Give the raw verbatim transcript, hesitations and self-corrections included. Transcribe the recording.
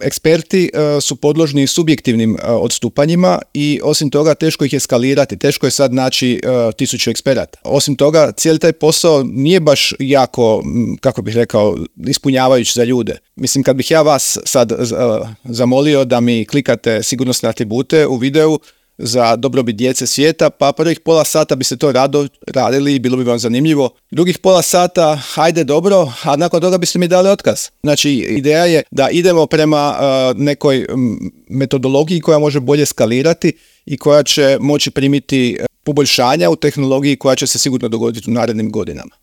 Eksperti uh, su podložni subjektivnim uh, odstupanjima i osim toga teško ih je skalirati, teško je sad naći uh, tisuću eksperata. Osim toga, cijeli taj posao nije baš jako, kako bih rekao, ispunjavajući za ljude. Mislim, kad bih ja vas sad uh, zamolio da mi klikate sigurnosne atribute u videu za dobrobit djece svijeta, pa prvih pola sata biste to rado radili i bilo bi vam zanimljivo. Drugih pola sata, hajde dobro, a nakon toga biste mi dali otkaz. Znači, ideja je da idemo prema uh, nekoj metodologiji koja može bolje skalirati i koja će moći primiti poboljšanja u tehnologiji koja će se sigurno dogoditi u narednim godinama.